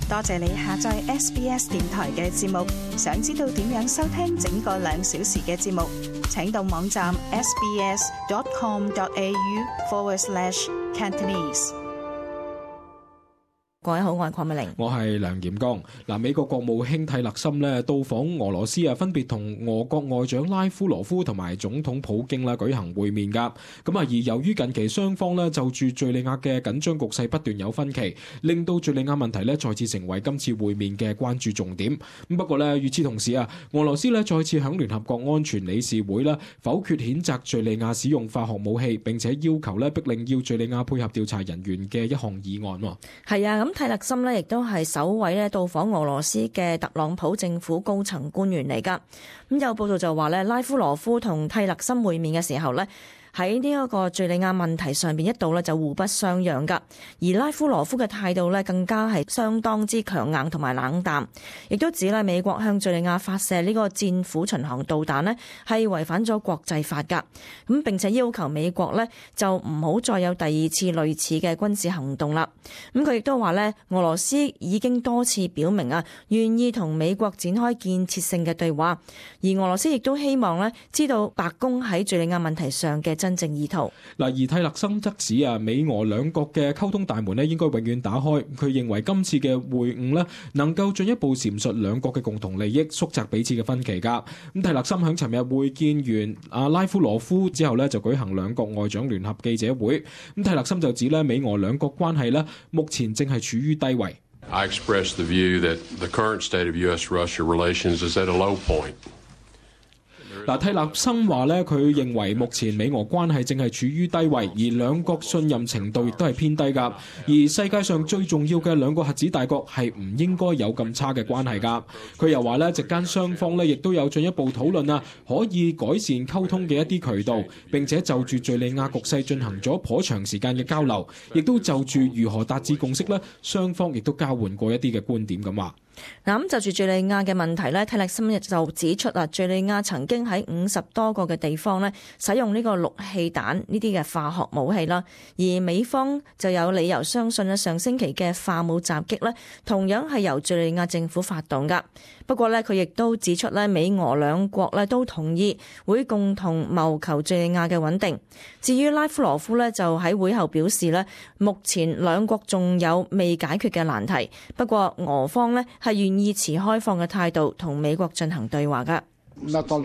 多謝你下載 SBS 電台嘅節目。想知道點樣收聽整個2小時嘅節目，請到網站 sbs.com.au/Cantonese。各位好，我係鄺美玲，我係梁炎剛。美國國務卿蒂勒森到訪俄羅斯分別同俄國外長拉夫羅夫同埋總統普京舉行會面㗎。而由於近期雙方就住敘利亞嘅緊張局勢不斷有分歧，令到敘利亞問題再次成為今次會面嘅關注重點。不過與此同時俄羅斯再次響聯合國安全理事會否決譴責敘利亞使用化學武器，並且要求逼令要敘利亞配合調查人員嘅一項議案。係啊，蒂勒森亦都係首位到訪俄羅斯嘅特朗普政府高層官員嚟㗎。有報道就話拉夫羅夫同蒂勒森會面嘅時候喺呢一個敘利亞問題上邊一度就互不相讓㗎，而拉夫羅夫嘅態度更加係相當之強硬同埋冷淡，亦都指美國向敘利亞發射呢個戰斧巡航導彈係違反咗國際法㗎，並且要求美國就唔好再有第二次類似嘅軍事行動啦。佢亦都話俄羅斯已經多次表明願意同美國展開建設性嘅對話，而俄羅斯亦都希望知道白宮喺敘利亞問題上嘅真正意圖。而蒂勒森則指美俄兩國嘅溝通大門應該永遠打開。佢認為今次嘅會晤能夠進一步闡述兩國嘅共同利益，縮窄彼此嘅分歧㗎。蒂勒森喺尋日會見完拉夫羅夫之後就舉行兩國外長聯合記者會。蒂勒森就指美俄兩國關係目前正係處於低位。I express the view that the current state of U.S.-Russia relations is at a low point。蒂勒森話佢認為目前美俄關係正係處於低位，而兩國信任程度亦都係偏低㗎。而世界上最重要嘅兩個核子大國係唔應該有咁差嘅關係㗎。佢又話席間雙方亦都有進一步討論可以改善溝通嘅一啲渠道，並且就住敘利亞局勢進行咗頗長時間嘅交流，亦都就住如何達至共識雙方亦都交換過一啲嘅觀點咁話。咁就住敘利亞嘅問題蒂勒森就指出敘利亞曾經喺50多個嘅地方使用呢個氯氣彈呢啲嘅化學武器啦，而美方就有理由相信上星期嘅化武襲擊同樣係由敘利亞政府發動㗎。不過佢亦都指出美俄兩國都同意會共同謀求敘利亞嘅穩定。至於拉夫羅夫就喺會後表示目前兩國仲有未解決嘅難題，不過俄方係願意持開放嘅態度同美國進行對話㗎。拉夫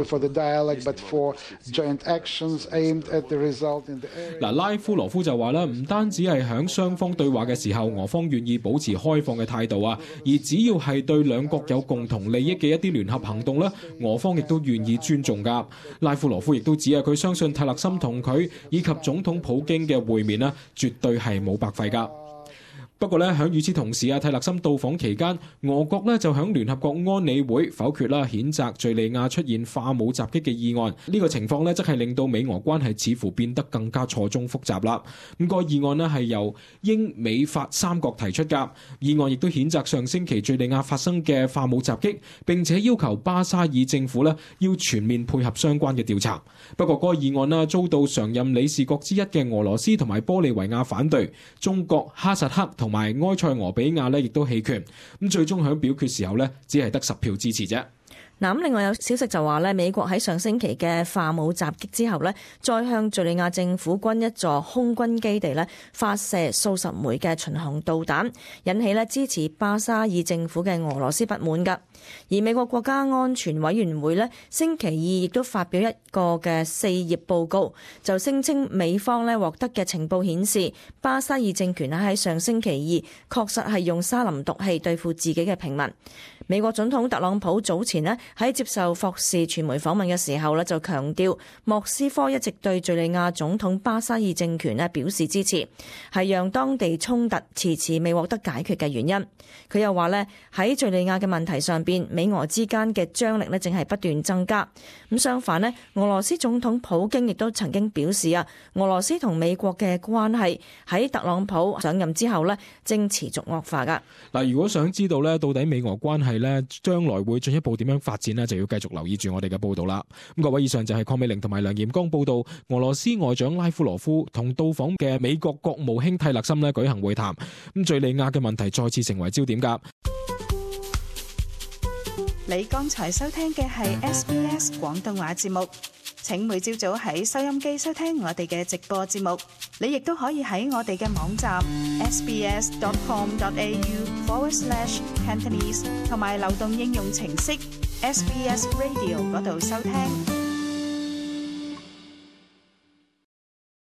羅夫就話唔單止係響雙方對話嘅時候，俄方願意保持開放嘅態度而只要係對兩國有共同利益嘅一啲聯合行動俄方亦都願意尊重㗎。拉夫羅夫亦都指佢相信蒂勒森同佢以及總統普京嘅會面絕對係冇白費㗎。不過喺與此同時蒂勒森到訪期間，俄國就喺聯合國安理會否決譴責敘利亞出現化武襲擊嘅議案。呢個情況則係令到美俄關係似乎變得更加錯綜複雜啦。個議案係由英美法三國提出㗎。議案亦都譴責上星期敘利亞發生嘅化武襲擊，並且要求巴沙爾政府要全面配合相關嘅調查。不過個議案遭到常任理事國之一嘅俄羅斯同埋玻利維亞反對，中國、哈薩克同埋埃塞俄比亞亦都棄權，最終喺表決時候只係得10票支持啫。咁另外有消息就話美國喺上星期嘅化武襲擊之後再向敘利亞政府軍一座空軍基地發射數十枚嘅巡航導彈，引起支持巴沙爾政府嘅俄羅斯不滿㗎。而美國國家安全委員會星期二亦都發表一個嘅4頁報告，就聲稱美方獲得嘅情報顯示，巴沙爾政權喺上星期二確實係用沙林毒氣對付自己嘅平民。美國總統特朗普早前喺接受霍士傳媒訪問嘅時候就強調，莫斯科一直對敘利亞總統巴沙爾政權表示支持，係讓當地衝突遲遲未獲得解決嘅原因。佢又話喺敘利亞嘅問題上邊，美俄之間嘅張力正係不斷增加。咁相反俄羅斯總統普京亦都曾經表示俄羅斯同美國嘅關係喺特朗普上任之後正持續惡化㗎。如果想知道到底美俄關係將來會進一步點樣發展就要繼續留意住我哋嘅報道啦。各位，以上就係鄺美玲同埋梁炎剛報道俄羅斯外長拉夫羅夫同到訪嘅美國國務卿蒂勒森舉行會談，敘利亞嘅問題再次成為焦點㗎。你剛才收聽嘅係 SBS 廣東話節目。請每朝早喺收音機收聽我哋嘅直播節目。你亦都可以喺我哋嘅網站 sbs.com.au/Cantonese 同埋流動應用程式 SBS Radio 嗰度收聽。